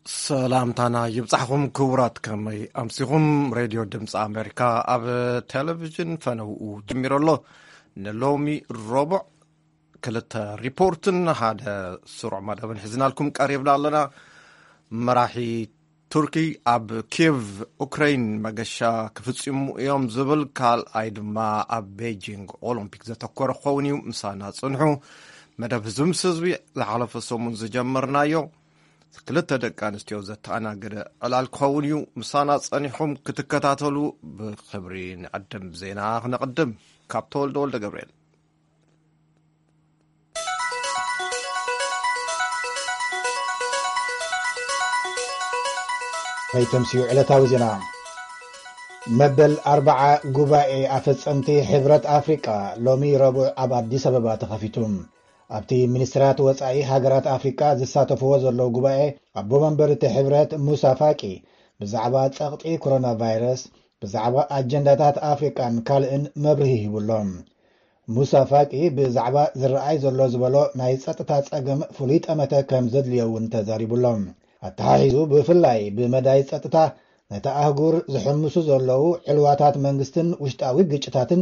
ሰላምታና ይብጻሕኹም ክቡራት፣ ከመይ ኣምሲኹም? ሬድዮ ድምፂ ኣሜሪካ ኣብ ቴሌቪዥን ፈነውኡ ጀሚሩ ኣሎ። ንሎሚ ረቡዕ ክልተ ሪፖርትን ሓደ ስሩዕ መደብን ሒዝናልኩም ቀሪብና ኣለና። መራሒ ቱርኪ ኣብ ኪየቭ ኡክራይን መገሻ ክፍጽሙ እዮም ዝብል፣ ካልኣይ ድማ ኣብ ቤጂንግ ኦሎምፒክ ዘተኮረ ክኸውን እዩ። ምሳና ጽንሑ። መደብ ህዝቢ ምስ ህዝቢ ዝሓለፈ ሰሙን ዝጀመርናዮ ክልተ ደቂ ኣንስትዮ ዘተኣናገደ ዕላል ክኸውን እዩ። ምሳና ጸኒሕኩም ክትከታተሉ ብኽብሪ ንዕድም። ዜና ክነቕድም ካብ ተወልደ ወልደ ገብርኤል። ናይ ተምስዩ ዕለታዊ ዜና። መበል ኣርብዓ ጉባኤ ኣፈጸምቲ ሕብረት ኣፍሪቃ ሎሚ ረቡዕ ኣብ ኣዲስ ኣበባ ተኸፊቱ። ኣብቲ ሚኒስትራት ወጻኢ ሃገራት ኣፍሪቃ ዝሳተፍዎ ዘለዉ ጉባኤ፣ ኣቦ መንበር እቲ ሕብረት ሙሳ ፋቂ ብዛዕባ ጸቕጢ ኮሮና ቫይረስ፣ ብዛዕባ ኣጀንዳታት ኣፍሪቃን ካልእን መብርሂ ሂቡ ኣሎ። ሙሳ ፋቂ ብዛዕባ ዝረኣይ ዘሎ ዝበሎ ናይ ጸጥታ ጸገም ፍሉይ ጠመተ ከም ዘድልዮ እውን ተዛሪቡ ኣሎ። ኣተሓሒዙ ብፍላይ ብመዳይ ጸጥታ ነታ ኣህጉር ዝሕምሱ ዘለዉ ዕልዋታት መንግስትን ውሽጣዊ ግጭታትን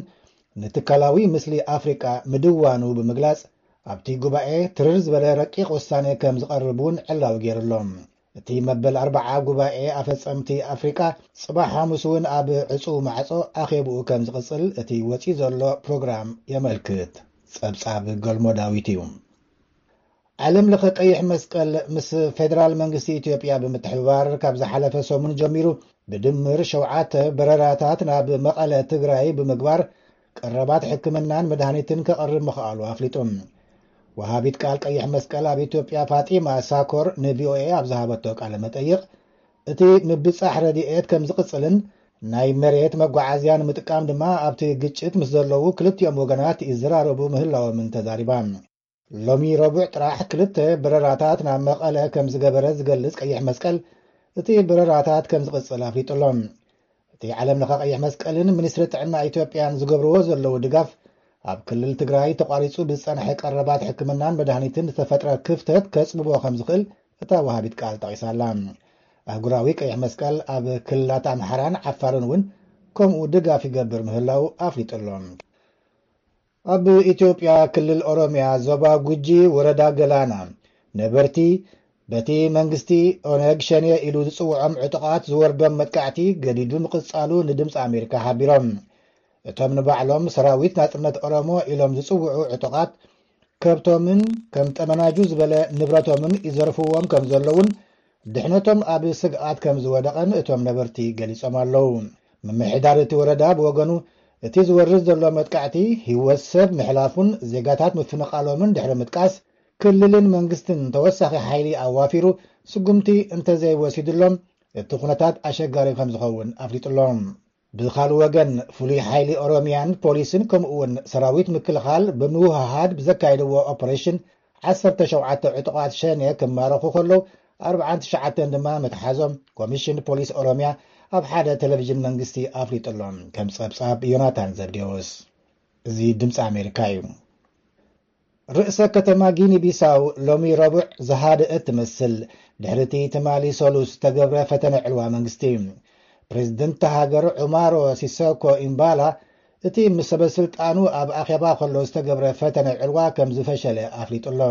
ንትካላዊ ምስሊ ኣፍሪቃ ምድዋኑ ብምግላጽ፣ ኣብቲ ጉባኤ ትርር ዝበለ ረቂቕ ውሳነ ከም ዝቐርብ እውን ዕላዊ ገይሩ ኣሎ። እቲ መበል ኣርብዓ ጉባኤ ኣፈጸምቲ ኣፍሪቃ ጽባሕ ሓሙስ እውን ኣብ ዕጹው ማዕጾ ኣኼብኡ ከም ዝቕጽል እቲ ወጺኡ ዘሎ ፕሮግራም የመልክት። ጸብጻብ ገልሞ ዳዊት እዩ። ዓለም ለኸ ቀይሕ መስቀል ምስ ፌደራል መንግስቲ ኢትዮጵያ ብምትሕብባር ካብ ዝሓለፈ ሰሙን ጀሚሩ ብድምር ሸውዓተ በረራታት ናብ መቐለ ትግራይ ብምግባር ቀረባት ሕክምናን መድሃኒትን ከቕርብ ምኽኣሉ ኣፍሊጡ። ወሃቢት ቃል ቀይሕ መስቀል ኣብ ኢትዮጵያ ፋጢማ ሳኮር ንቪኦኤ ኣብ ዝሃበቶ ቃለ መጠይቕ፣ እቲ ምብጻሕ ረድኤት ከም ዝቕጽልን ናይ መሬት መጓዓዝያ ንምጥቃም ድማ ኣብቲ ግጭት ምስ ዘለዉ ክልቲኦም ወገናት ይዘራረቡ ምህላዎምን ተዛሪባ። ሎሚ ረቡዕ ጥራሕ ክልተ በረራታት ናብ መቐለ ከም ዝገበረ ዝገልጽ ቀይሕ መስቀል፣ እቲ በረራታት ከም ዝቕጽል ኣፍሊጡ ኣሎ። እቲ ዓለም ለኸ ቀይሕ መስቀልን ሚኒስትሪ ጥዕና ኢትዮጵያን ዝገብርዎ ዘለዉ ድጋፍ፣ ኣብ ክልል ትግራይ ተቋሪጹ ብዝጸንሐ ቀረባት ሕክምናን መድሃኒትን ዝተፈጥረ ክፍተት ከጽብቦ ከም ዝኽእል እታ ወሃቢት ቃል ጠቒሳ ኣላ። ኣህጉራዊ ቀይሕ መስቀል ኣብ ክልላት ኣምሓራን ዓፋርን እውን ከምኡ ድጋፍ ይገብር ምህላው ኣፍሊጡ ኣሎ። ኣብ ኢትዮጵያ ክልል ኦሮሚያ ዞባ ጉጂ ወረዳ ገላና ነበርቲ በቲ መንግስቲ ኦነግ ሸኔ ኢሉ ዝጽውዖም ዕጡቓት ዝወርዶም መጥቃዕቲ ገዲዱ ምቕጻሉ ንድምፂ ኣሜሪካ ሓቢሮም። እቶም ንባዕሎም ሰራዊት ናጽነት ኦሮሞ ኢሎም ዝጽውዑ ዕጡቓት ከብቶምን ከም ጠመናጁ ዝበለ ንብረቶምን ይዘርፍዎም ከም ዘለውን ድሕነቶም ኣብ ስግኣት ከም ዝወደቐን እቶም ነበርቲ ገሊጾም ኣለዉ። ምምሕዳር እቲ ወረዳ ብወገኑ፣ እቲ ዝወርድ ዘሎ መጥቃዕቲ ህይወት ሰብ ምሕላፉን ዜጋታት ምፍንቓሎምን ድሕሪ ምጥቃስ፣ ክልልን መንግስትን ተወሳኺ ሓይሊ ኣዋፊሩ ስጉምቲ እንተዘይወሲዱሎም፣ እቲ ኩነታት ኣሸጋሪ ከም ዝኸውን ኣፍሊጡሎም። ብኻልእ ወገን፣ ፍሉይ ሓይሊ ኦሮሚያን ፖሊስን ከምኡ እውን ሰራዊት ምክልኻል ብምውህሃድ ብዘካየድዎ ኦፐሬሽን ዓሰርተ ሸውዓተ ዕጡቓት ሸኔ ክማረኹ ከለዉ፣ ኣርብዓን ትሽዓተን ድማ ምትሓዞም ኮሚሽን ፖሊስ ኦሮሚያ ኣብ ሓደ ቴሌቪዥን መንግስቲ ኣፍሊጡ ኣሎ። ከም ጸብጻብ ዮናታን ዘብዴዎስ። እዚ ድምፂ ኣሜሪካ እዩ። ርእሰ ከተማ ጊኒ ቢሳው ሎሚ ረቡዕ ዝሃደአት ትመስል፣ ድሕሪ እቲ ትማሊ ሰሉስ ዝተገብረ ፈተነ ዕልዋ መንግስቲ። ፕሬዝደንት እታ ሃገር ዑማሮ ሲሶኮ ኢምባላ፣ እቲ ምስ ሰበ ስልጣኑ ኣብ ኣኼባ ከሎ ዝተገብረ ፈተነ ዕልዋ ከም ዝፈሸለ ኣፍሊጡ ኣሎ።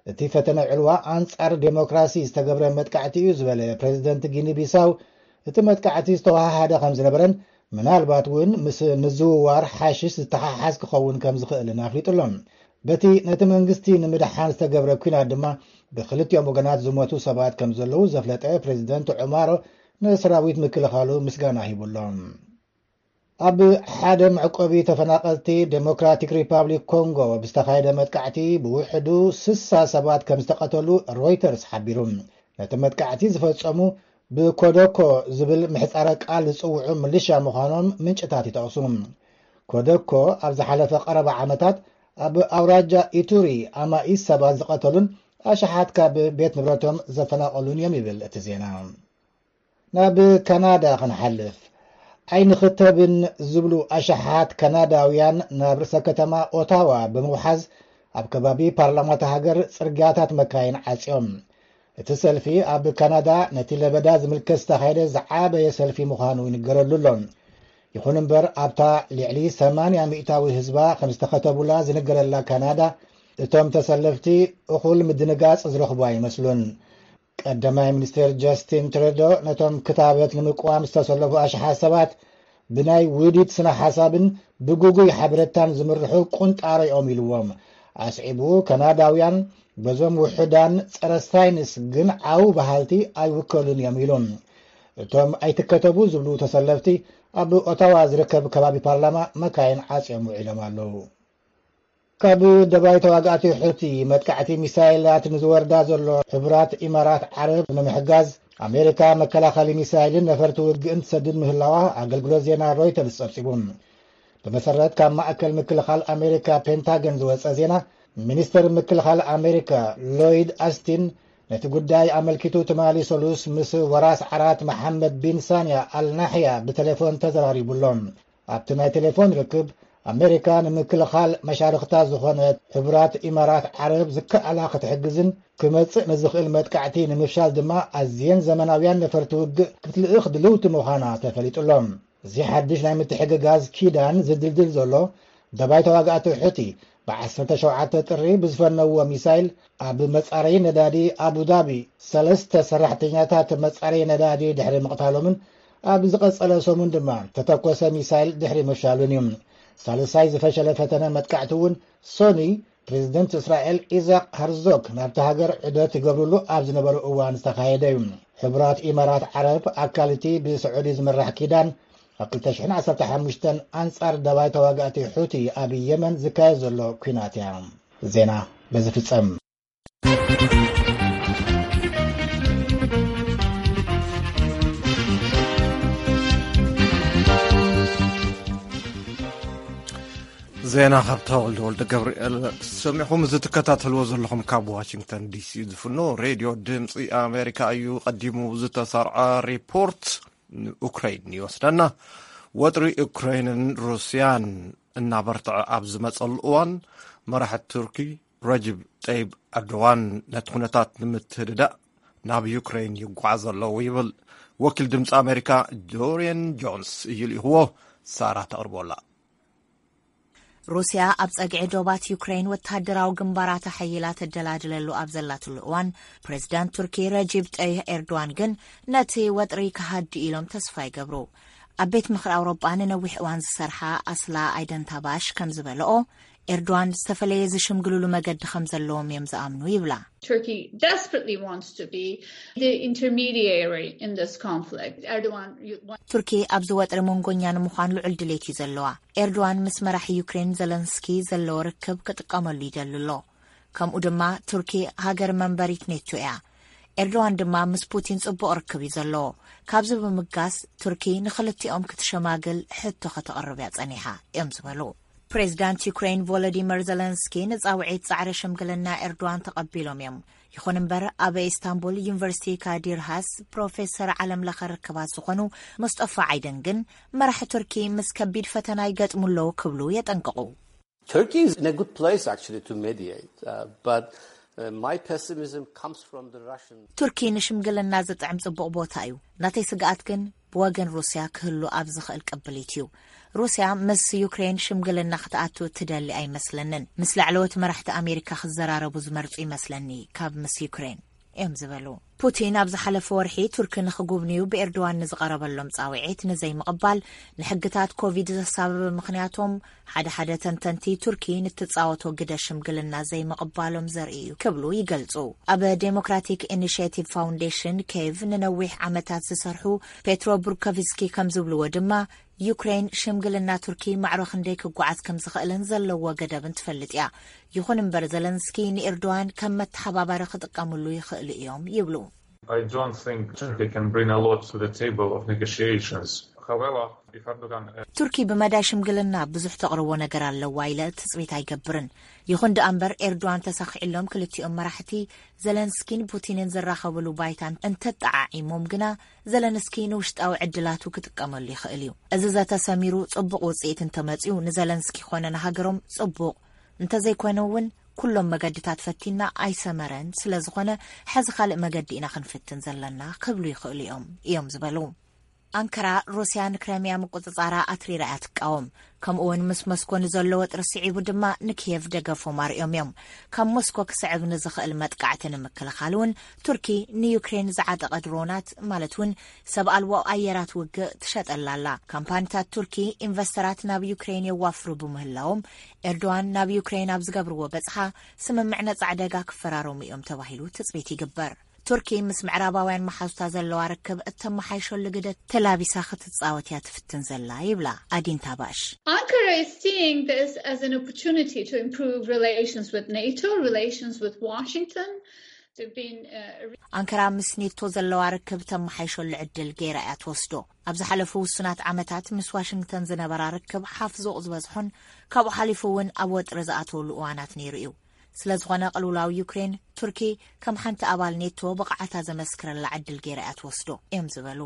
እቲ ፈተነ ዕልዋ ኣንጻር ዴሞክራሲ ዝተገብረ መጥቃዕቲ እዩ ዝበለ ፕሬዝደንት ጊኒ ቢሳው፣ እቲ መጥቃዕቲ ዝተወሃሃደ ከም ዝነበረን ምናልባት እውን ምስ ምዝውዋር ሓሽሽ ዝተሓሓዝ ክኸውን ከም ዝኽእልን ኣፍሊጡ ኣሎ። በቲ ነቲ መንግስቲ ንምድሓን ዝተገብረ ኲናት ድማ ብክልቲኦም ወገናት ዝሞቱ ሰባት ከም ዘለዉ ዘፍለጠ ፕሬዝደንት ዑማሮ ንሰራዊት ምክልኻሉ ምስጋና ሂቡ ኣሎ። ኣብ ሓደ መዕቆቢ ተፈናቐልቲ ዴሞክራቲክ ሪፓብሊክ ኮንጎ ብዝተኻየደ መጥቃዕቲ ብውሕዱ ስሳ ሰባት ከም ዝተቐተሉ ሮይተርስ ሓቢሩ። ነቲ መጥቃዕቲ ዝፈጸሙ ብኮደኮ ዝብል ምሕጻረ ቃል ዝጽውዑ ምልሻ ምዃኖም ምንጭታት ይጠቕሱ። ኮደኮ ኣብ ዝሓለፈ ቀረባ ዓመታት ኣብ ኣውራጃ ኢቱሪ ኣማኢት ሰባት ዝቐተሉን ኣሽሓት ካብ ቤት ንብረቶም ዘፈናቐሉን እዮም ይብል እቲ ዜና። ናብ ካናዳ ክንሓልፍ። ኣይንኽተብን ዝብሉ ኣሽሓት ካናዳውያን ናብ ርእሰ ከተማ ኦታዋ ብምውሓዝ ኣብ ከባቢ ፓርላማ እታ ሃገር ጽርግያታት መካይን ዓጽዮም። እቲ ሰልፊ ኣብ ካናዳ ነቲ ለበዳ ዝምልከት ዝተኻየደ ዝዓበየ ሰልፊ ምዃኑ ይንገረሉ ኣሎ። ይኹን እምበር፣ ኣብታ ልዕሊ ሰማንያ ሚእታዊ ህዝባ ከም ዝተኸተቡላ ዝንገረላ ካናዳ፣ እቶም ተሰለፍቲ እኹል ምድንጋጽ ዝረኽቡ ኣይመስሉን። ቀዳማይ ሚኒስትር ጀስቲን ትሩዶ ነቶም ክታበት ንምቅዋም ዝተሰለፉ ኣሽሓት ሰባት ብናይ ውዲት ስነ ሓሳብን ብጉጉይ ሓበሬታን ዝምርሑ ቁንጣሮ እዮም ኢልዎም። ኣስዒቡ፣ ካናዳውያን በዞም ውሑዳን ጸረ ሳይንስ ግን ዓው በሃልቲ ኣይውከሉን እዮም ኢሉ። እቶም ኣይትከተቡ ዝብሉ ተሰለፍቲ ኣብ ኦታዋ ዝርከብ ከባቢ ፓርላማ መካይን ዓጽዮም ውዒሎም ኣለዉ። ካብ ደባይ ተዋጋእቲ ሑቲ መጥቃዕቲ ሚሳይላት ንዝወርዳ ዘሎ ሕቡራት ኢማራት ዓረብ ንምሕጋዝ ኣሜሪካ መከላኸሊ ሚሳይልን ነፈርቲ ውግእን ትሰድድ ምህላዋ ኣገልግሎት ዜና ሮይተርስ ጸብጺቡ። ብመሰረት ካብ ማእከል ምክልኻል ኣሜሪካ ፔንታገን ዝወጸ ዜና፣ ሚኒስተር ምክልኻል ኣሜሪካ ሎይድ ኣስቲን ነቲ ጉዳይ ኣመልኪቱ ትማሊ ሰሉስ ምስ ወራስ ዓራት መሓመድ ቢን ሳንያ ኣልናሕያ ብቴሌፎን ተዘራሪቡ ኣሎ። ኣብቲ ናይ ቴሌፎን ርክብ፣ ኣሜሪካ ንምክልኻል መሻርኽታ ዝኾነት ሕቡራት ኢማራት ዓረብ ዝከኣላ ክትሕግዝን ክመጽእ ንዝኽእል መጥቃዕቲ ንምፍሻል ድማ ኣዝየን ዘመናውያን ነፈርቲ ውግእ ክትልእኽ ድልውቲ ምዃና ተፈሊጡ ኣሎ። እዚ ሓድሽ ናይ ምትሕግጋዝ ኪዳን ዝድልድል ዘሎ ደባይ ተዋጋእቲ ሑቲ ብ ዓሰርተ ሸውዓተ ጥሪ ብዝፈነዎ ሚሳይል ኣብ መጻረዪ ነዳዲ ኣቡዳቢ ሰለስተ ሰራሕተኛታት መጻረዪ ነዳዲ ድሕሪ ምቕታሎምን ኣብ ዝቐጸለ ሰሙን ድማ ተተኮሰ ሚሳይል ድሕሪ ምፍሻሉን እዩ። ሳልሳይ ዝፈሸለ ፈተነ መጥቃዕቲ እውን ሶኒ ፕሬዚደንት እስራኤል ኢዛቅ ሃርዞግ ናብቲ ሃገር ዑደት ይገብርሉ ኣብ ዝነበሩ እዋን ዝተኻየደ እዩ። ሕቡራት ኢማራት ዓረብ ኣካል እቲ ብስዑዲ ዝምራሕ ኪዳን ኣብ ክልተ ሽሕን ዓሰርተ ሓሙሽተን ኣንጻር ደባይ ተዋጋእቲ ሑቲ ኣብ የመን ዝካየድ ዘሎ ኲናት እያ። ዜና በዚ ፍጸም። ዜና ካብ ተወልደ ወልደ ገብርኤል ሰሚዕኹም። እዚ ትከታተልዎ ዘለኹም ካብ ዋሽንግተን ዲሲ ዝፍኖ ሬድዮ ድምፂ ኣሜሪካ እዩ። ቀዲሙ ዝተሰርዐ ሪፖርት ንኡክራይን ይወስደና። ወጥሪ ኡክራይንን ሩስያን እናበርትዐ ኣብ ዝመፀሉ እዋን፣ መራሒ ቱርኪ ረጅብ ጠይብ ኤርዶዋን ነቲ ኩነታት ንምትህድዳእ ናብ ዩክሬን ይጓዓዝ ኣለዉ ይብል ወኪል ድምፂ ኣሜሪካ ዶሪየን ጆንስ እዩ ልኢኽዎ። ሳራ ተቕርቦ ኣላ። ሩስያ ኣብ ጸግዒ ዶባት ዩክሬን ወተሃደራዊ ግንባራት ኣሐይላ ተደላድለሉ ኣብ ዘላትሉ እዋን፣ ፕሬዝዳንት ቱርኪ ረጂብ ጠይህ ኤርዶዋን ግን ነቲ ወጥሪ ክሃድእ ኢሎም ተስፋ ይገብሩ። ኣብ ቤት ምኽሪ ኣውሮጳ ንነዊሕ እዋን ዝሰርሓ ኣስላ ኣይደንታባሽ ከም ዝበለኦ፣ ኤርዶዋን ዝተፈለየ ዝሽምግሉሉ መገዲ ከም ዘለዎም እዮም ዝኣምኑ ይብላ። Turkey desperately wants to be the intermediary in this conflict. Erdogan, you want ቱርኪ ኣብዚ ወጥሪ መንጎኛ ንምዃን ልዑል ድሌት እዩ ዘለዋ። ኤርዶዋን ምስ መራሒ ዩክሬን ዘለንስኪ ዘለዎ ርክብ ክጥቀመሉ ይደሊ ኣሎ። ከምኡ ድማ ቱርኪ ሃገር መንበሪት ኔቶ እያ። ኤርዶዋን ድማ ምስ ፑቲን ጽቡቕ ርክብ እዩ ዘለዎ። ካብዚ ብምጋስ ቱርኪ ንኽልቲኦም ክትሸማግል ሕቶ ከተቕርብ እያ ጸኒሓ እዮም ዝበሉ። ፕሬዚዳንት ዩክሬን ቮሎዲመር ዘለንስኪ ንጻውዒት ጻዕሪ ሽምግልና ኤርዶዋን ተቐቢሎም እዮም። ይኹን እምበር፣ ኣብ ኢስታንቡል ዩኒቨርሲቲ ካዲር ሃስ ፕሮፌሰር ዓለም ለኸ ርክባት ዝኾኑ ሙስጠፋ ዓይደን ግን፣ መራሒ ቱርኪ ምስ ከቢድ ፈተና ይገጥሙ ኣለዉ ክብሉ የጠንቅቑ። Turkey is in a good place, actually, to mediate, uh, but, uh, my pessimism comes from the Russian. ቱርኪ ንሽምግልና ዝጥዕም ጽቡቕ ቦታ እዩ። ናተይ ስግኣት ግን ብወገን ሩስያ ክህሉ ኣብ ዝኽእል ቅብሊት እዩ። ሩስያ ምስ ዩክሬን ሽምግልና ክትኣቱ እትደሊ ኣይመስለንን። ምስ ላዕለዎት መራሕቲ ኣሜሪካ ክዘራረቡ ዝመርጹ ይመስለኒ ካብ ምስ ዩክሬን እዮም ዝበሉ። ፑቲን ኣብ ዝሓለፈ ወርሒ ቱርኪ ንኽጉብንዩ ብኤርዶዋን ንዝቐረበሎም ጻውዒት ንዘይምቕባል ንሕግታት ኮቪድ ዘሳበበ ምኽንያቶም፣ ሓደ ሓደ ተንተንቲ ቱርኪ ንትጻወቶ ግደ ሽምግልና ዘይምቕባሎም ዘርኢ እዩ ክብሉ ይገልጹ። ኣብ ዴሞክራቲክ ኢኒሽቲቭ ፋውንዴሽን ኬቭ ንነዊሕ ዓመታት ዝሰርሑ ፔትሮ ቡርኮቭስኪ ከም ዝብልዎ ድማ፣ ዩክሬን ሽምግልና ቱርኪ ማዕሮ ክንደይ ክጓዓዝ ከም ዝኽእልን ዘለዎ ገደብን ትፈልጥ እያ። ይኹን እምበር፣ ዘለንስኪ ንኤርዶዋን ከም መተሓባባሪ ክጥቀምሉ ይኽእሉ እዮም ይብሉ። I don't think Turkey can bring a lot to the table of negotiations. However, if Erdogan, uh, ቱርኪ ብመዳይ ሽምግልና ብዙሕ ተቕርቦ ነገር ኣለዋ ኢለ ትጽቢት ኣይገብርን። ይኹን ደኣ እምበር፣ ኤርዶዋን ተሳኺዕሎም ክልቲኦም መራሕቲ ዘለንስኪን ፑቲንን ዝራኸብሉ ባይታን እንተጠዓዒሞም ግና፣ ዘለንስኪ ንውሽጣዊ ዕድላቱ ክጥቀመሉ ይኽእል እዩ። እዚ ዘተ ሰሚሩ ጽቡቕ ውጽኢት እንተመጺኡ፣ ንዘለንስኪ ኮነ ንሃገሮም ጽቡቕ፣ እንተዘይኮነ እውን ኩሎም መገድታት ፈቲና ኣይሰመረን። ስለ ዝኾነ፣ ሕዚ ካልእ መገዲ ኢና ክንፍትን ዘለና ክብሉ ይኽእሉ እዮም፣ እዮም ዝበሉ። ኣንከራ፣ ሩስያ ንክረምያ ምቁጽጻራ ኣትሪራ እያ ትቃወም። ከምኡ እውን ምስ ሞስኮ ንዘሎ ወጥሪ ስዒቡ ድማ ንኪየቭ ደገፎም ኣርእዮም እዮም። ካብ ሞስኮ ክስዕብ ንዝኽእል መጥቃዕቲ ንምክልኻል እውን ቱርኪ ንዩክሬን ዝዓጠቐ ድሮናት፣ ማለት እውን ሰብ ኣልቦ ኣየራት ውግእ ትሸጠላ ኣላ። ካምፓኒታት ቱርኪ ኢንቨስተራት ናብ ዩክሬን የዋፍሩ ብምህላዎም፣ ኤርዶዋን ናብ ዩክሬን ኣብ ዝገብርዎ በጽሓ ስምምዕ ነጻ ዕደጋ ክፈራረሙ እዮም ተባሂሉ ትጽቢት ይግበር። ቱርኪ ምስ ምዕራባውያን መሓዙታ ዘለዋ ርክብ እተመሓይሸሉ ግደ ተላቢሳ ክትጻወት እያ ትፍትን ዘላ ይብላ ኣዲን ታባሽ። Ankara is seeing this as an opportunity to improve relations with NATO, relations with Washington. They've been, uh, ኣንከራ ምስ ኔቶ ዘለዋ ርክብ ተመሓይሸሉ ዕድል ገይራ እያ ትወስዶ። ኣብ ዝሓለፉ ውሱናት ዓመታት ምስ ዋሽንግተን ዝነበራ ርክብ ሓፍ ዞቕ ዝበዝሖን ካብኡ ሓሊፉ እውን ኣብ ወጥሪ ዝኣተወሉ እዋናት ነይሩ እዩ። ስለ ዝኾነ ቅልውላው ዩክሬን፣ ቱርኪ ከም ሓንቲ ኣባል ኔቶ ብቕዓታ ዘመስክረላ ዕድል ገይራ እያ ትወስዶ እዮም ዝበሉ።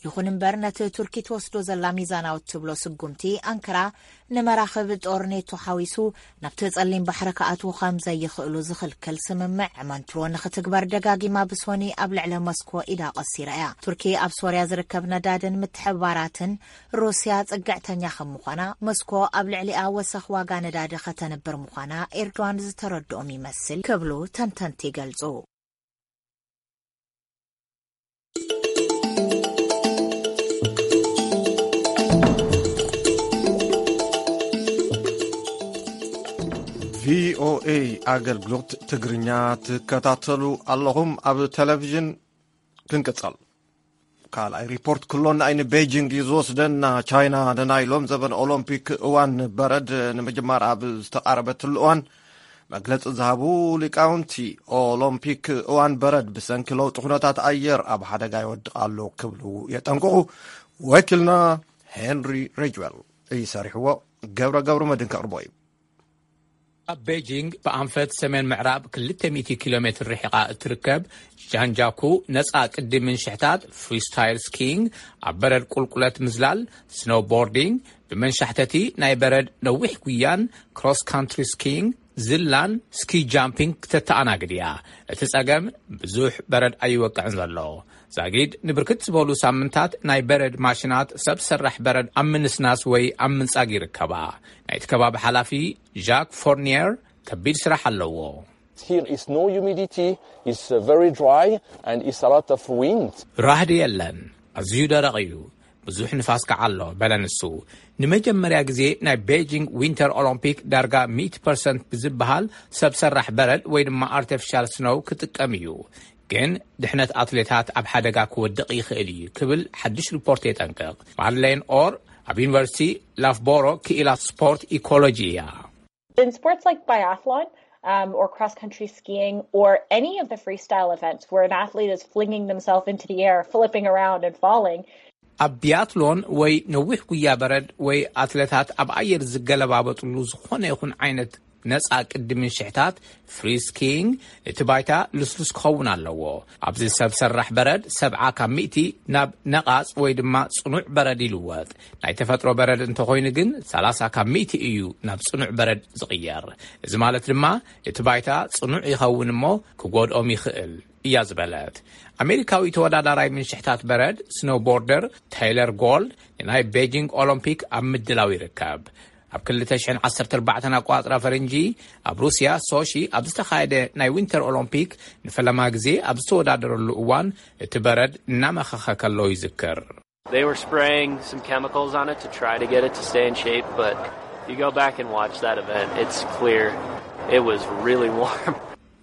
ይኹን እምበር፣ ነቲ ቱርኪ ትወስዶ ዘላ ሚዛናዊ እትብሎ ስጉምቲ፣ ኣንከራ ንመራኽብ ጦር ኔቶ ሓዊሱ ናብቲ ጸሊም ባሕሪ ክኣትዉ ከም ዘይኽእሉ ዝኽልክል ስምምዕ መንትሮ ንኽትግበር ደጋጊማ ብሶኒ ኣብ ልዕሊ ሞስኮ ኢዳ ቀሲራ እያ። ቱርኪ ኣብ ሶርያ ዝርከብ ነዳድን ምትሕብባራትን ሩስያ ጽግዕተኛ ከም ምዃና፣ ሞስኮ ኣብ ልዕሊኣ ወሰኽ ዋጋ ነዳዲ ከተንብር ምዃና ኤርዶዋን ዝተረድኦም ይመስል ክብሉ ተንተንቲ ይገልጹ። ቪኦኤ ኣገልግሎት ትግርኛ ትከታተሉ ኣለኹም። ኣብ ቴሌቪዥን ክንቅጸል። ካልኣይ ሪፖርት ክሎና ንቤጂንግ እዩ ዝወስደና። ቻይና ንናይ ሎም ዘበን ኦሎምፒክ እዋን በረድ ንምጅማር ኣብ ዝተቓረበትሉ እዋን፣ መግለጺ ዝሃቡ ሊቃውንቲ፣ ኦሎምፒክ እዋን በረድ ብሰንኪ ለውጢ ኩነታት ኣየር ኣብ ሓደጋ ይወድቕ ኣሎ ክብሉ የጠንቅቑ። ወኪልና ሄንሪ ሬጅዌል እዩ ሰሪሕዎ። ገብረ ገብረ መድን ከቕርቦ እዩ። ኣብ ቤጂንግ ብኣንፈት ሰሜን ምዕራብ ክልተ ሚእቲ ኪሎ ሜትር ርሒቓ እትርከብ ጃንጃኩ ነጻ ቅዲ ምንሽሕታት፣ ፍሪስታይል ስኪንግ፣ ኣብ በረድ ቁልቁለት ምዝላል፣ ስኖውቦርዲንግ፣ ብመንሻሕተቲ ናይ በረድ ነዊሕ ጉያን፣ ክሮስ ካንትሪ ስኪንግ፣ ዝላን ስኪ ጃምፒንግ ክተተኣናግድ እያ። እቲ ጸገም ብዙሕ በረድ ኣይወቅዕን ዘሎ። ዛጊድ ንብርክት ዝበሉ ሳምንታት ናይ በረድ ማሽናት ሰብ ሰራሕ በረድ ኣብ ምንስናስ ወይ ኣብ ምንጻግ ይርከባ። ናይቲ ከባቢ ሓላፊ ጃክ ፎርኒየር ከቢድ ስራሕ ኣለዎ። Here is no humidity, it's uh, very dry and it's a lot of wind. ራህዲ የለን፣ ኣዝዩ ደረቕ እዩ፣ ብዙሕ ንፋስ ከዓ ኣሎ፣ በለ ንሱ። ንመጀመርያ ግዜ ናይ ቤጂንግ ዊንተር ኦሎምፒክ ዳርጋ ሚእቲ ፐርሰንት ብዝበሃል ሰብ ሰራሕ በረድ ወይ ድማ ኣርቲፊሻል ስኖው ክጥቀም እዩ። ግን ድሕነት ኣትሌታት ኣብ ሓደጋ ክወድቕ ይኽእል እዩ ክብል ሓድሽ ሪፖርት የጠንቅቕ። ማድሌን ኦር ኣብ ዩኒቨርሲቲ ላፍቦሮ ክኢላ ስፖርት ኢኮሎጂ እያ። In sports like biathlon, um, or cross country skiing or any of the freestyle events where an athlete is flinging themselves into the air, flipping around and falling, ኣብ ቢያትሎን ወይ ነዊሕ ጉያ በረድ ወይ ኣትሌታት ኣብ ኣየር ዝገለባበጥሉ ዝኾነ ይኹን ዓይነት ነጻ ቅዲ ምንሽሕታት፣ ፍሪ ስኪንግ፣ እቲ ባይታ ልስሉስ ክኸውን ኣለዎ። ኣብዚ ሰብ ሰራሕ በረድ ሰብዓ ካብ ሚእቲ ናብ ነቓጽ ወይ ድማ ጽኑዕ በረድ ይልወጥ። ናይ ተፈጥሮ በረድ እንተኾይኑ ግን ሰላሳ ካብ ሚእቲ እዩ ናብ ጽኑዕ በረድ ዝቕየር። እዚ ማለት ድማ እቲ ባይታ ጽኑዕ ይኸውን እሞ ክጎድኦም ይኽእል እያ ዝበለት። ኣሜሪካዊ ተወዳዳራይ ምንሽሕታት በረድ ስኖውቦርደር ታይለር ጎልድ ንናይ ቤጂንግ ኦሎምፒክ ኣብ ምድላው ይርከብ። ኣብ ክልተ ሽሕን ዓሰርተ ኣርባዕተን ኣቋጽራ ፈረንጂ ኣብ ሩስያ ሶሺ ኣብ ዝተኻየደ ናይ ዊንተር ኦሎምፒክ ንፈለማ ግዜ ኣብ ዝተወዳደረሉ እዋን እቲ በረድ እናመኸኸ ከሎ ይዝክር። They were spraying some chemicals on it to try to get it to stay in shape, but you go back and watch that event, it's clear it was really warm.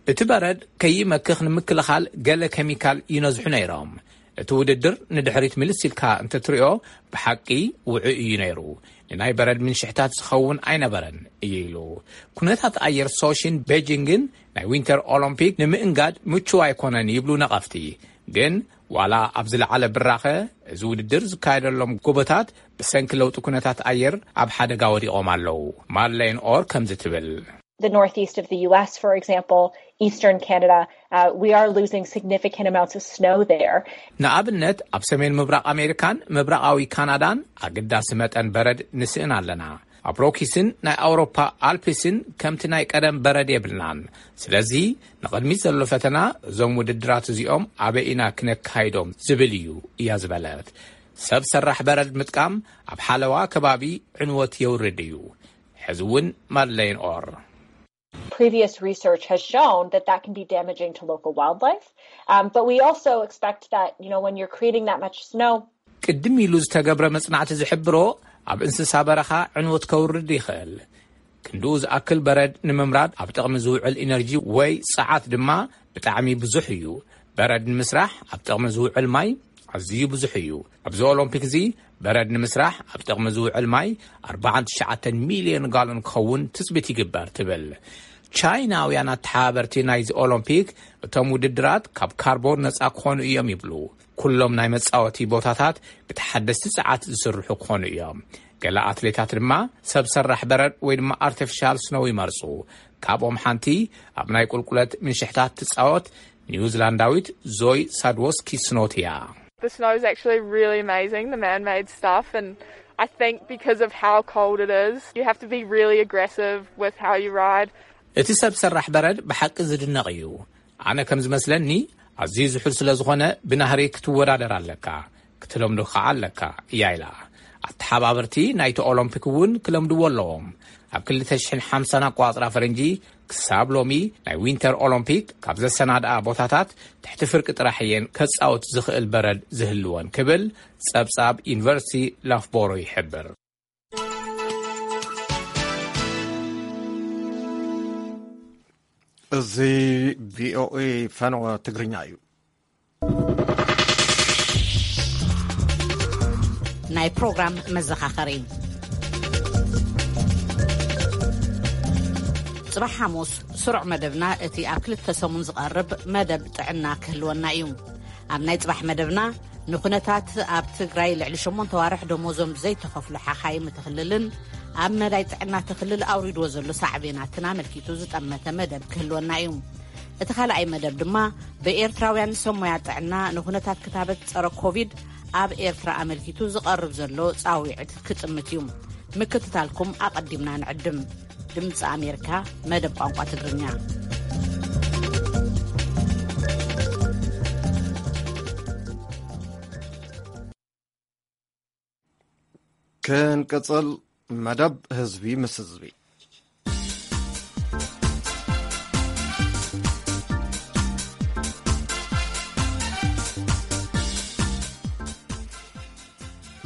እቲ በረድ ከይመክኽ ንምክልኻል ገለ ኬሚካል ይነዝሑ ነይሮም። እቲ ውድድር ንድሕሪት ምልስ ኢልካ እንተትሪኦ ብሓቂ ውዑይ እዩ ነይሩ። ንናይ በረድ ምንሽሕታት ዝኸውን ኣይነበረን እዩ ኢሉ። ኩነታት ኣየር ሶሺን ቤጂንግን ናይ ዊንተር ኦሎምፒክ ንምእንጋድ ምቹው ኣይኮነን ይብሉ ነቐፍቲ። ግን ዋላ ኣብ ዝለዓለ ብራኸ፣ እዚ ውድድር ዝካየደሎም ጎቦታት ብሰንኪ ለውጢ ኩነታት ኣየር ኣብ ሓደጋ ወዲቖም ኣለዉ። ማድሌን ኦር ከምዚ ትብል። The northeast of the U S, for example, eastern Canada, uh, we are losing significant amounts of snow there. ንኣብነት ኣብ ሰሜን ምብራቕ ኣሜሪካን ምብራቓዊ ካናዳን ኣገዳሲ መጠን በረድ ንስእን ኣለና። ኣብ ሮኪስን ናይ ኣውሮፓ ኣልፕስን ከምቲ ናይ ቀደም በረድ የብልናን። ስለዚ ንቕድሚት ዘሎ ፈተና እዞም ውድድራት እዚኦም ኣበይ ኢና ክነካይዶም ዝብል እዩ እያ ዝበለት። ሰብ ሰራሕ በረድ ምጥቃም ኣብ ሓለዋ ከባቢ ዕንወት የውርድ እዩ። ሕዚ እውን ማድለይን ኦር Previous research has shown that that can be damaging to local wildlife. Um, but we also expect that, you know, when you're creating that much snow, ቅድም ኢሉ ዝተገብረ መጽናዕቲ ዝሕብሮ ኣብ እንስሳ በረኻ ዕንወት ከውርድ ይኽእል። ክንድኡ ዝኣክል በረድ ንምምራድ ኣብ ጥቕሚ ዝውዕል ኢነርጂ ወይ ጸዓት ድማ ብጣዕሚ ብዙሕ እዩ። በረድ ንምስራሕ ኣብ ጥቕሚ ዝውዕል ማይ ኣዝዩ ብዙሕ እዩ። ኣብዚ ኦሎምፒክ እዚ በረድ ንምስራሕ ኣብ ጥቕሚ ዝውዕል ማይ ኣርባዓን ትሽዓተን ሚልዮን ጋሎን ክኸውን ትጽቢት ይግበር ትብል። ቻይናውያን ኣተሓባበርቲ ናይዚ ኦሎምፒክ እቶም ውድድራት ካብ ካርቦን ነጻ ክኾኑ እዮም ይብሉ። ኩሎም ናይ መጻወቲ ቦታታት ብተሓደስቲ ጸዓት ዝስርሑ ክኾኑ እዮም። ገለ ኣትሌታት ድማ ሰብ ሰራሕ በረድ ወይ ድማ ኣርቲፊሻል ስኖው ይመርጹ። ካብኦም ሓንቲ ኣብ ናይ ቁልቁለት ምንሽሕታት ትጻወት ኒውዚላንዳዊት ዞይ ሳድዎስኪ ስኖት እያ። The snow is actually really amazing, the man-made stuff, and I think because of how cold it is, you have to be really aggressive with how you ride. እቲ ሰብ ሰራሕ በረድ ብሓቂ ዝድነቕ እዩ። ኣነ ከም ዝመስለኒ ኣዝዩ ዝሑል ስለ ዝኾነ ብናህሪ ክትወዳደር ኣለካ፣ ክትለምዶ ከዓ ኣለካ እያ ኢላ። ኣተሓባበርቲ ናይቲ ኦሎምፒክ እውን ክለምድዎ ኣለዎም። ኣብ ክልተ ሽሕን ሓምሳን ኣቋጽራ ፈረንጂ ክሳብ ሎሚ ናይ ዊንተር ኦሎምፒክ ካብ ዘሰናድኣ ቦታታት ትሕቲ ፍርቂ ጥራሕ እየን ከጻወት ዝኽእል በረድ ዝህልወን ክብል ጸብጻብ ዩኒቨርሲቲ ላፍቦሮ ይሕብር። እዚ ቪኦኤ ፈነወ ትግርኛ እዩ። ናይ ፕሮግራም መዘኻኸሪ። ጽባሕ ሓሙስ ስሩዕ መደብና እቲ ኣብ ክልተ ሰሙን ዝቐርብ መደብ ጥዕና ክህልወና እዩ። ኣብ ናይ ጽባሕ መደብና ንኹነታት ኣብ ትግራይ ልዕሊ ሸሞንተ ዋርሕ ደሞዞም ዘይተኸፍሉ ሓኻይም እቲ ክልልን ኣብ መዳይ ጥዕና እቲ ክልል ኣውሪድዎ ዘሎ ሳዕቤናትን ኣመልኪቱ ዝጠመተ መደብ ክህልወና እዩ። እቲ ካልኣይ መደብ ድማ ብኤርትራውያን ሰብ ሞያ ጥዕና ንኹነታት ክታበት ጸረ ኮቪድ ኣብ ኤርትራ ኣመልኪቱ ዝቐርብ ዘሎ ጻዊዕት ክጥምት እዩ። ምክትታልኩም ኣቐዲምና ንዕድም። ድምፂ ኣሜሪካ መደብ ቋንቋ ትግርኛ። ክንቅጽል መደብ ህዝቢ ምስ ህዝቢ።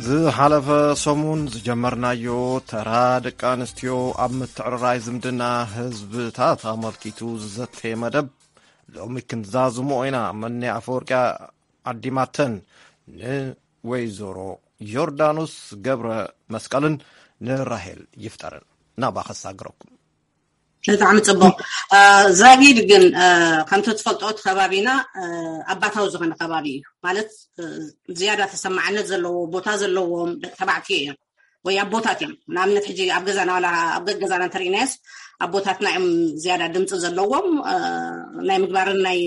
ዝሓለፈ ሰሙን ዝጀመርናዮ ተራ ደቂ ኣንስትዮ ኣብ ምትዕርራይ ዝምድና ህዝብታት ኣመልኪቱ ዝዘተየ መደብ ሎሚ ክንዛዝሞ ኢና። መኒ ኣፈወርቂ ኣዲማተን ንወይዘሮ ዮርዳኖስ ገብረ መስቀልን ንራሄል ይፍጠርን ናባ ከሳግረኩም። ብጣዕሚ ጽቡቕ። ዛጊድ ግን ከምቲ ትፈልጦ እቲ ከባቢና ኣባታዊ ዝኾነ ከባቢ እዩ። ማለት ዝያዳ ተሰማዕነት ዘለዎ ቦታ ዘለዎም ደቂ ተባዕትዮ እዮም ወይ ኣቦታት እዮም። ንኣብነት ሕጂ ኣብ ገዛና ዋላ ኣብ ገዛና እንተርኢናዮስ ኣቦታትና እዮም ዝያዳ ድምፂ ዘለዎም፣ ናይ ምግባርን ናይ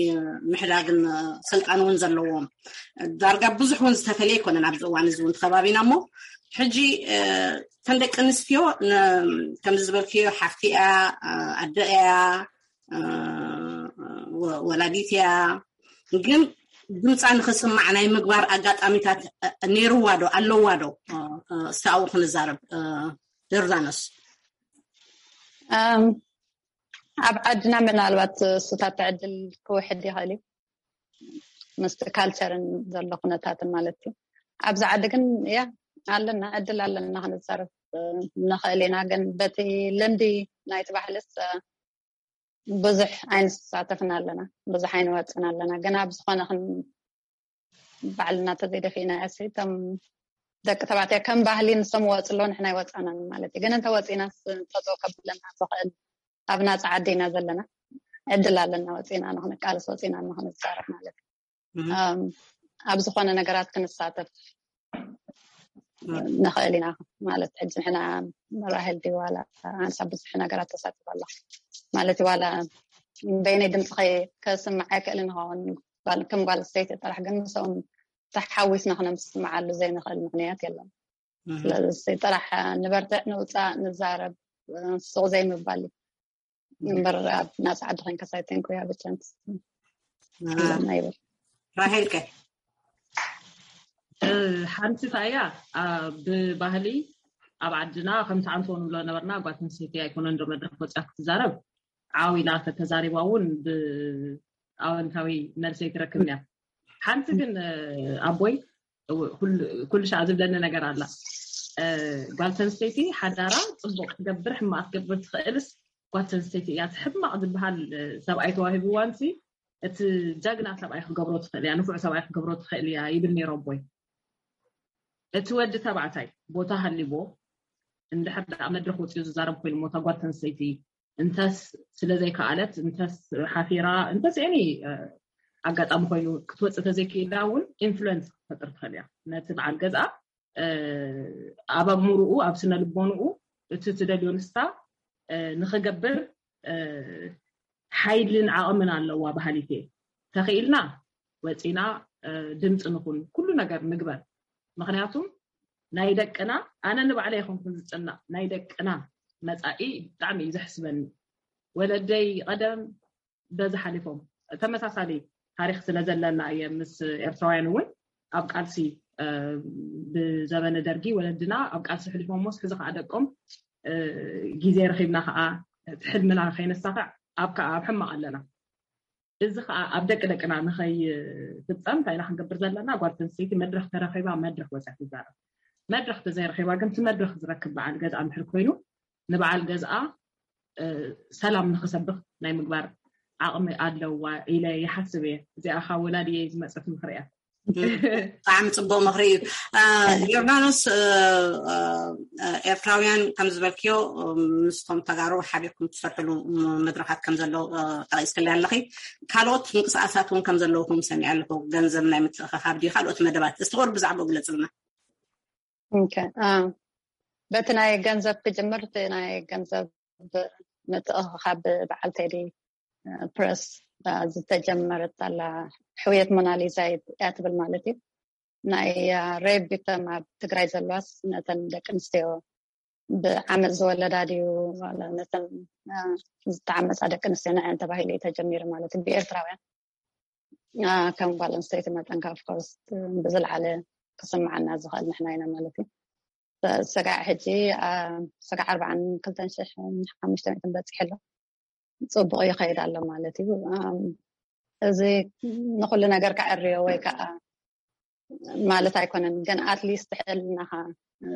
ምሕዳግን ስልጣን እውን ዘለዎም። ዳርጋ ብዙሕ እውን ዝተፈለየ ኣይኮነን ኣብዚ እዋን እዚ እውን ከባቢና። እሞ ሕጂ እተን ደቂ ኣንስትዮ ከምዚ ዝበልክዮ ሓፍቲ እያ፣ ኣደ እያ፣ ወላዲት እያ። ግን ድምፃ ንክስማዕ ናይ ምግባር ኣጋጣሚታት ነይርዋ ዶ ኣለዋ ዶ? እስቲ ኣብኡ ክንዛረብ። ዮርዳኖስ። ኣብ ዓድና ምናልባት እሱታት ዕድል ክውሕድ ይኽእል እዩ፣ ምስቲ ካልቸርን ዘሎ ኩነታትን ማለት እዩ። ኣብዚ ዓዲ ግን ያ ኣለና፣ ዕድል ኣለና ክንዛረብ ንኽእል ኢና። ግን በቲ ልምዲ ናይቲ ባህልስ ብዙሕ ኣይንሳተፍን ኣለና፣ ብዙሕ ኣይንወፅን ኣለና። ግን ኣብ ዝኾነ ባዕልና ተዘይደፊእና ያሲ እቶም ደቂ ተባዕትያ ከም ባህሊ ንሶም ወፅ ኣለዉ፣ ንሕና ኣይወፃናን ማለት እዩ። ግን እንተወፂና ተፅኦ ከብለና ዝኽእል ኣብ ናፃ ዓዲ ኢና ዘለና፣ ዕድል ኣለና፣ ወፂና ንክንቃለስ ወፂና ንክንዛረብ ማለት እዩ። ኣብ ዝኾነ ነገራት ክንሳተፍ ንኽእል ኢና ማለት ሕጂ ንሕና ራሄል ድዩ ዋላ ኣንሳ ብዙሕ ነገራት ተሳቲፍ ኣላ ማለት እዩ። ዋላ በይነይ ድምፂ ከስምዕ ኣይክእልን ይኸውን፣ ከም ጓል ስተይቲ ጥራሕ ግን ምስኦም ተሓዊስና ክነስምዓሉ ዘይንኽእል ምኽንያት የለን። ስለዚ ጥራሕ ንበርትዕ፣ ንውፃእ፣ ንዛረብ፣ ሱቕ ዘይምባል እዩ። እምበር ኣብ ናፃ ዓዲ ኮይንካ ሳይተንኩ ያ ብቻንስ ኣለና ይብል። ራሄልከ? ሓንቲ ታያ ብባህሊ ኣብ ዓድና ከምቲ ኣንቶን ንብሎ ነበርና፣ ጓል ኣንስተይቲ ኣይኮነን ዶ መድረክ ወፅያ ክትዛረብ። ዓው ኢላ ተተዛሪባ እውን ብኣወንታዊ መልሲ ኣይትረክብን እያ። ሓንቲ ግን ኣቦይ ኩሉ ሻዕ ዝብለኒ ነገር ኣላ። ጓል ኣንስተይቲ ሓዳራ ፅቡቅ ትገብር ሕማቅ ትገብር ትኽእልስ ጓል ኣንስተይቲ እያ። እቲ ሕማቅ ዝበሃል ሰብኣይ ተዋሂብዋንሲ እቲ ጀግና ሰብኣይ ክገብሮ ትኽእል እያ፣ ንፉዕ ሰብኣይ ክገብሮ ትኽእል እያ ይብል ነይሩ ኣቦይ። እቲ ወዲ ተባዕታይ ቦታ ሃሊዎ እንድሕር ደኣ መድረክ ወፂኡ ዝዛረብ ኮይኑ ሞታ ጓል ኣንስተይቲ እንተስ ስለ ዘይከኣለት እንተስ ሓፊራ እንተስ ኒ ኣጋጣሚ ኮይኑ ክትወፅእ ተዘይክኢላ እውን ኢንፍሉንስ ክትፈጥር ትኽእል እያ ነቲ በዓል ገዝኣ። ኣብ ኣእምርኡ ኣብ ስነ ልቦንኡ እቲ ትደልዮ ንስታ ንክገብር ሓይልን ዓቕምን ኣለዋ በሃሊት እየ። ተኽኢልና ወፂና ድምፂ ንኹን ኩሉ ነገር ንግበር። ምክንያቱም ናይ ደቅና ኣነ ንባዕለ ይኮንኩን ዝጭነቕ ናይ ደቅና መፃኢ ብጣዕሚ እዩ ዘሕስበኒ። ወለደይ ቀደም በዚ ሓሊፎም ተመሳሳሊ ታሪክ ስለ ዘለና እየ ምስ ኤርትራውያን እውን ኣብ ቃልሲ ብዘበነ ደርጊ ወለድና ኣብ ቃልሲ ሕሊፎም ሞስ ሕዚ ከዓ ደቆም ግዜ ረኪብና ከዓ እቲ ሕልምና ከይነሳኽዕ ኣብ ከዓ ኣብ ሕማቅ ኣለና። እዚ ከዓ ኣብ ደቂ ደቅና ንኸይፍፀም እንታይ ኢና ክንገብር ዘለና? ጓል ኣንስተይቲ መድረክ ተረኪባ መድረክ ወፅያ ትዛረብ። መድረክ ተዘይረኪባ ግን እቲ መድረክ ዝረክብ በዓል ገዝኣ እንድሕር ኮይኑ ንበዓል ገዝኣ ሰላም ንክሰብክ ናይ ምግባር ዓቕሚ ኣለዋ ኢለ ይሓስብ እየ። እዚኣ ካብ ወላዲ እየ ዝመፀት ምክሪ እያ። ብጣዕሚ ፅቡቅ ምክሪ እዩ። ዮርዳኖስ፣ ኤርትራውያን ከም ዝበልክዮ ምስቶም ተጋሩ ሓቢርኩም ትሰርሕሉ መድረካት ከም ዘሎ ጠቂስክለይ ኣለኺ። ካልኦት ምንቅስቃሳት እውን ከም ዘለውኩም ሰሚዐ ኣለኹ። ገንዘብ ናይ ምትእኽኻብ ድዩ ካልኦት መደባት? እስቲ ቁሩብ ብዛዕባኡ ግለፅልና። በቲ ናይ ገንዘብ ክጅምር፣ እቲ ናይ ገንዘብ ምትእኽኻብ በዓል ቴዲ ፕረስ ዝተጀመረት ኣላ። ሕውየት ሞናሊዛ እያ ትብል ማለት እዩ። ናይ ሬብ ቪክተም ኣብ ትግራይ ዘለዋስ ነተን ደቂ ኣንስትዮ ብዓመፅ ዝወለዳ ድዩ ነተን ዝተዓመፃ ደቂ ኣንስትዮ ንዐን ተባሂሉ እዩ ተጀሚሩ ማለት እዩ። ብኤርትራውያን ከም ጓል ኣንስተይቲ መጠን ካብ ኮርስ ብዝለዓለ ክስምዓና ዝኽእል ንሕና ኢና ማለት እዩ። ሰጋዕ ሕጂ ሰጋዕ ኣርባዓን ክልተን ሽሕ ሓሙሽተ ሚእትን በፂሑ ኣሎ። ፅቡቅ ይኸይድ ኣሎ ማለት እዩ። እዚ ንኩሉ ነገር ከዐርዮ ወይ ከዓ ማለት ኣይኮነን፣ ግን ኣትሊስት ሕልናኻ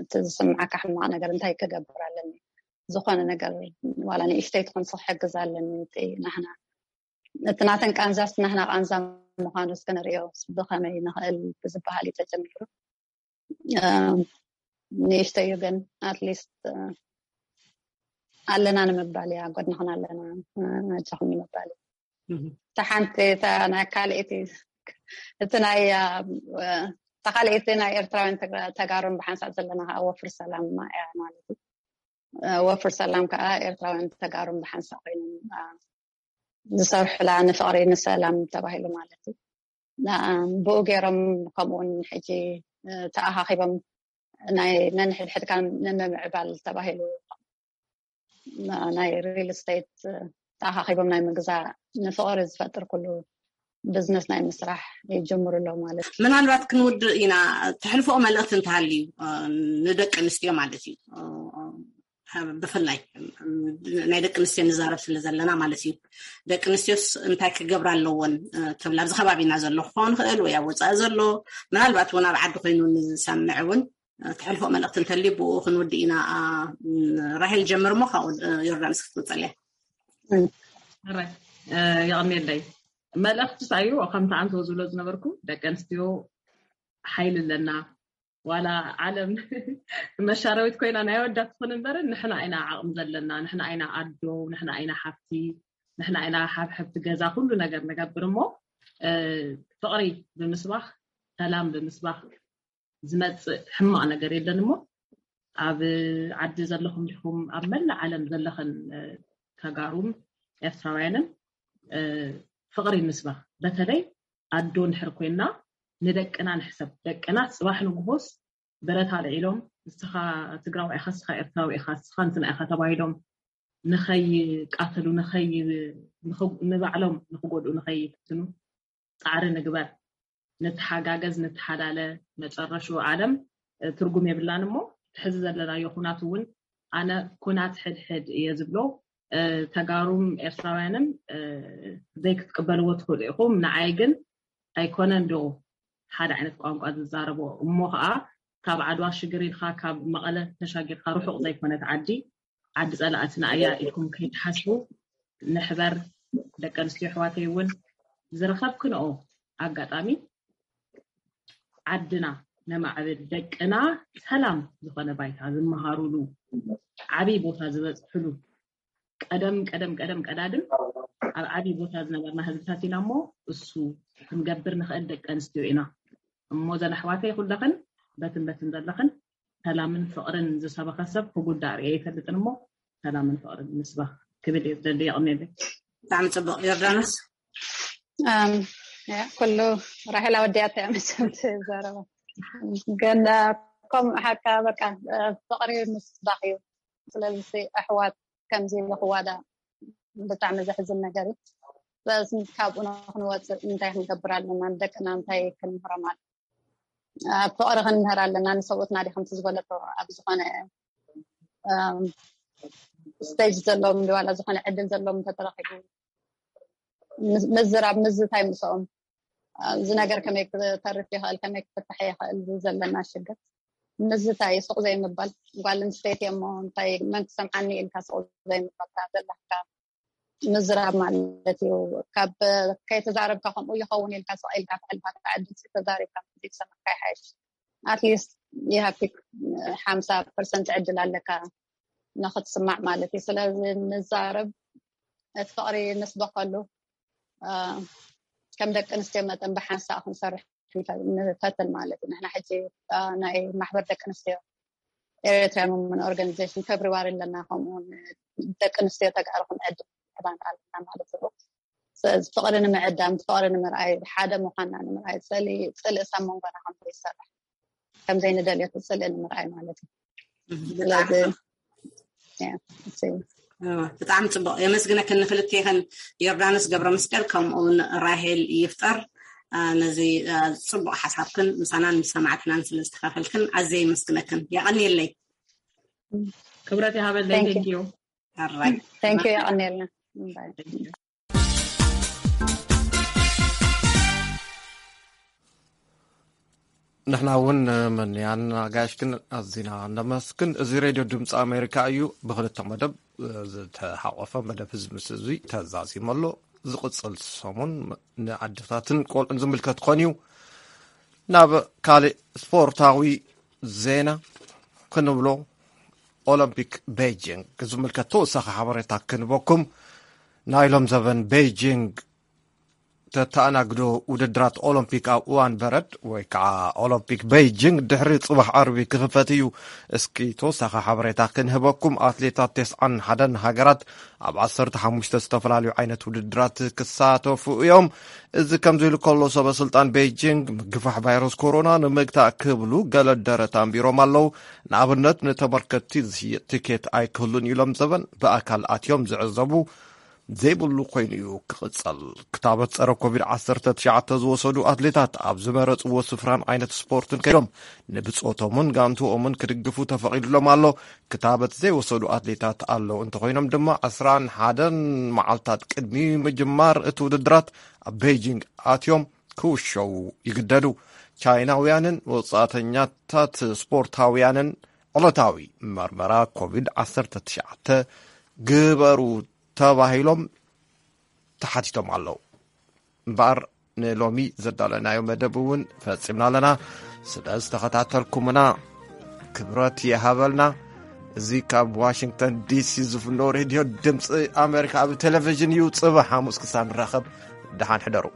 እቲ ዝስምዓካ ሕማቅ ነገር እንታይ ክገብር ኣለኒ፣ ዝኾነ ነገር ዋላ ንእሽተይ ትኾን ክሕግዝ ኣለኒ ናህና እቲ ናተን ቃንዛስ ናህና ቃንዛ ምዃኑ እስኪ ንሪኦ ብኸመይ ንኽእል ብዝበሃል እዩ ተጀሚሩ። ንእሽተይ እዩ ግን ኣትሊስት ኣለና ንምባል እያ፣ ጎድንኽን ኣለና፣ ኣጆኽን ንምባል እዩ። እታ ሓንቲ እታ ናይ ካልኣይቲ እቲ ናይ እታ ካልኣይቲ ናይ ኤርትራውያን ተጋሩን ብሓንሳብ ዘለና ከዓ ወፍር ሰላም እያ ማለት እዩ። ወፍር ሰላም ከዓ ኤርትራውያን ተጋሩን ብሓንሳብ ኮይኖም ዝሰርሑላ ንፍቅሪ ንሰላም ተባሂሉ ማለት እዩ። ብኡ ገይሮም ከምኡውን ሕጂ ተኣኻኺቦም ናይ ነንሕድሕድካ ንምምዕባል ተባሂሉ ናይ ሪል ስቴት ተኣኻኺቦም ናይ ምግዛእ ንፍቅሪ ዝፈጥር ኩሉ ብዝነስ ናይ ምስራሕ ይጀምሩ ኣለዉ ማለት እዩ። ምናልባት ክንውድእ ኢና። ተሕልፎ መልእክቲ እንተሃልዩ ንደቂ ኣንስትዮ ማለት እዩ፣ ብፍላይ ናይ ደቂ ኣንስትዮ ንዛረብ ስለ ዘለና ማለት እዩ። ደቂ ኣንስትዮስ እንታይ ክገብራ ኣለዎን ትብል ኣብዚ ከባቢና ዘሎ ክኸውን ይኽእል ወይ ኣብ ወፃኢ ዘሎ ምናልባት እውን ኣብ ዓዲ ኮይኑ ንዝሰምዕ እውን ተሕልፎ መልእክቲ እንተልዩ ብኡ ክንውድእ ኢና። ራሄል ጀምር እሞ ካብኡ ዮርዳኖስ ክትቅፅል እያ። የቐንየለይ። መልእክቲ ሳዩ ከምቲ ኣንተ ዝብሎ ዝነበርኩ ደቂ ኣንስትዮ ሓይሊ ኣለና። ዋላ ዓለም መሻረዊት ኮይና ናይ ወዳት ትኾን እምበርን ንሕና ኢና ዓቕሚ ዘለና፣ ንሕና ኢና ኣዶ፣ ንሕና ኢና ሓፍቲ፣ ንሕና ኢና ሓብሕብቲ ገዛ ኩሉ ነገር ንገብር እሞ ፍቕሪ ብምስባኽ ሰላም ብምስባኽ ዝመፅእ ሕማቕ ነገር የለን እሞ ኣብ ዓዲ ዘለኹም ዲኹም ኣብ መላእ ዓለም ዘለኽን ተጋሩን ኤርትራውያንን ፍቕሪ ንስበኽ። በተለይ ኣዶ እንድሕር ኮይና ንደቅና ንሕሰብ። ደቅና ፅባሕ ንግሆስ ብረት ኣልዒሎም፣ ንስኻ ትግራዋይ ኢኻ፣ ንስኻ ኤርትራዊ ኢኻ፣ ንስኻ እንትና ኢኻ ተባሂሎም ንኸይቃተሉ፣ ንኸይ-፣ ንኽ-፣ ንባዕሎም ንኽጎድኡ ንኸይፍትኑ ፃዕሪ ንግበር። ንተሓጋገዝ፣ ንተሓላለ። መጨረሹ ዓለም፣ እ፣ ትርጉም የብላን እሞ፣ እቲ ሕዚ ዘለናዮ ኩናት እውን ኣነ ኩናት ሕድሕድ እየ ዝብሎ። እ፣ ተጋሩም ኤርትራውያንን፣ እ፣ ዘይክትቅበልዎ ትኽእሉ ኢኹም። ንዓይ ግን ኣይኮነን ዶ ሓደ ዓይነት ቋንቋ ዝዛረቦ? እሞ ከዓ ካብ ዓድዋ ሽግር ኢልካ፣ ካብ መቐለ ተሻጊርካ ርሑቕ ዘይኮነት ዓዲ፣ ዓዲ ጸላእትና እያ ኢልኩም ከይትሓስቡ ንሕበር። ደቂ ኣንስትዮ ኣሕዋተይ እውን ዝረኸብክንኦ ኣጋጣሚ ዓድና ነማዕብል፣ ደቅና ሰላም ዝኾነ ባይታ ዝመሃሩሉ፣ ዓብይ ቦታ ዝበፅሕሉ፣ ቀደም ቀደም ቀደም ቀዳድም ኣብ ዓብይ ቦታ ዝነበርና ህዝብታት ኢና እሞ እሱ ክንገብር ንኽእል ደቂ ኣንስትዮ ኢና። እሞ ዘን ኣሕዋተይ ኩለኽን በትን በትን ዘለኽን ሰላምን ፍቕርን ዝሰበኸ ሰብ ክጉዳእ ርእየ ኣይፈልጥን እሞ ሰላምን ፍቕርን ንስበኽ ክብል እየ ዝደሊ። የቐንየለይ። ብጣዕሚ ጽቡቕ። ዮርዳኖስ? ኣም፣ ያ፣ ኩሉ ራሄል ኣወዲኣቶ እያ መቸም ትዛረባ። ግን፣ እ፣ ከም ሓቃ በቃ፣ እ፣ ፍቕሪ ምስባኽ እዩ። ስለዚ ኣሕዋት ከምዚ ኢሉ ክዋዳእ ብጣዕሚ ዘሕዝን ነገር እዩ። ስለዚ ካብኡ ንክንወፅእ እንታይ ክንገብር ኣለና? ንደቅና እንታይ ክንምህሮም ኣለና? ኣብ ፍቕሪ ክንምህር ኣለና። ንሰብኡትና ዲ ከምቲ ዝበለቶ ኣብ ዝኾነ፣ እም፣ ስቴጅ ዘለዎም ዲ ዋላ ዝኾነ ዕድል ዘለዎም እንተተረኺቡ ምዝ-፣ ምዝራብ፣ ምዝታይ ምስኦም፣ እዚ ነገር ከመይ ክተርፍ ይኽእል፣ ከመይ ክፍታሕ ይኽእል፣ እዚ ዘለና ሽግር ምዝታይ፣ ስቕ ዘይምባል። ጓል ኣንስተይቲ እሞ እንታይ መን ክሰምዓኒ ኢልካ ስቕ ዘይምባል፣ ካብ ዘለካ ምዝራብ ማለት እዩ። ካብ ከይተዛረብካ ከምኡ ይኸውን ኢልካ ስቕ ኢልካ ተሕልፋ፣ ካብ ዕድል ተዛሪብካ ዝሰማዕካ ይሓይሽ። ኣትሊስት you have to ሓምሳ ፐርሰንት ዕድል ኣለካ ንክትስማዕ ማለት እዩ። ስለዚ ንዛረብ፣ እቲ ፍቕሪ ንስበኸሉ፣ እ፣ ከም ደቂ ኣንስትዮ መጠን ብሓንሳእ ክንሰርሕ ንፈ-፣ ንፈትን ማለት እዩ። ንሕና ሕጂ፣ እ፣ ናይ ማሕበር ደቂ ኣንስትዮ ኤርትራያን ወመን ኦርጋኒዜሽን ፌብሪዋሪ ኣለና። ከምኡ እውን ደቂ ኣንስትዮ ተጋሩ ክንዕድም ዕላማ ኣለና ማለት እዩ። ስለዚ ፍቕሪ ንምዕዳም፣ ፍቕሪ ንምርኣይ፣ ሓደ ምዃንና ንምርኣይ፣ ጽልኢ፣ ጽልኢ ኣብ መንጎና ከም ዘይሰርሕ፣ ከም ዘይንደልዮ እቲ ጽልኢ ንምርኣይ ማለት እዩ። ስለዚ፣ ያ፣ እሱ እዩ። እወ፣ ብጣዕሚ ጽቡቕ። የመስግነክን ንክልቴኽን፣ ዮርዳኖስ ገብረ መስቀል ከምኡ እውን ራሄል ይፍጠር፣ አ፣ ነዚ፣ አ፣ ጽቡቕ ሓሳብክን ምሳናን ምስ ሰማዕትናን ስለ ዝተኻፈልክን ኣዝየ የመስግነክን። የቐንየለይ። ክብረት ይሃበለይ። Thank you። Thank you። ኣራይ። Thank you፣ የቐንየልና። ባይ። ንሕና እውን መንያን ኣጋይሽክን ኣዚና ነመስግን። እዚ ሬድዮ ድምፂ ኣሜሪካ እዩ። ብክልተ መደብ ዝተሓቆፈ መደብ ህዝቢ ምስ ህዝቢ ተዛዚሙ ኣሎ። ዝቕፅል ሰሙን ንኣዴታትን ቆልዑን ዝምልከት ክኾን እዩ። ናብ ካልእ ስፖርታዊ ዜና ክንብሎ፣ ኦሎምፒክ ቤጂንግ ዝምልከት ተወሳኺ ሓበሬታ ክንበኩም። ናይ ሎም ዘበን ቤጂንግ ተተኣናግዶ ውድድራት ኦሎምፒክ ኣብ እዋን በረድ ወይ ከዓ ኦሎምፒክ ቤጂንግ ድሕሪ ጽባሕ ዓርቢ ክኽፈት እዩ። እስኪ ተወሳኺ ሓበሬታ ክንህበኩም። ኣትሌታት ተስዓን ሓደን ሃገራት ኣብ ዓሰርተ ሓሙሽተ ዝተፈላለዩ ዓይነት ውድድራት ክሳተፉ እዮም። እዚ ከምዚ ኢሉ ከሎ፣ ሰበ ስልጣን ቤጂንግ ምግፋሕ ቫይረስ ኮሮና ንምግታእ ክብሉ ገለ ደረት ኣንቢሮም ኣለዉ። ንኣብነት፣ ንተመልከትቲ ዝሽየጥ ቲኬት ኣይክህሉን ኢሎም ዘበን ብኣካል ኣትዮም ዝዕዘቡ ዘይብሉ ኮይኑ እዩ ክቕጸል። ክታበት ጸረ ኮቪድ ዓሰርተ ትሽዓተ ዝወሰዱ ኣትሌታት ኣብ ዝመረጽዎ ስፍራን ዓይነት ስፖርትን ከይዶም ንብጾቶምን ጋንትኦምን ክድግፉ ተፈቒድሎም ኣሎ። ክታበት ዘይወሰዱ ኣትሌታት ኣለዉ እንተኾይኖም ድማ፣ ዕስራን ሓደን መዓልታት ቅድሚ ምጅማር እቲ ውድድራት ኣብ ቤጂንግ ኣትዮም ክውሸዉ ይግደዱ። ቻይናውያንን ወጻእተኛታት ስፖርታውያንን ዕለታዊ መርመራ ኮቪድ ዓሰርተ ትሽዓተ ግበሩ ተባሂሎም ተሓቲቶም ኣለዉ። እምበኣር ንሎሚ ዘዳለናዮ መደብ እውን ፈጺምና ኣለና። ስለ ዝተኸታተልኩምና ክብረት ይሃበልና። እዚ ካብ ዋሽንግተን ዲሲ ዝፍኖ ሬድዮ ድምፂ ኣሜሪካ ኣብ ቴሌቪዥን እዩ። ጽባሕ ሓሙስ ክሳብ ንራኸብ፣ ደሓን ሕደሩ።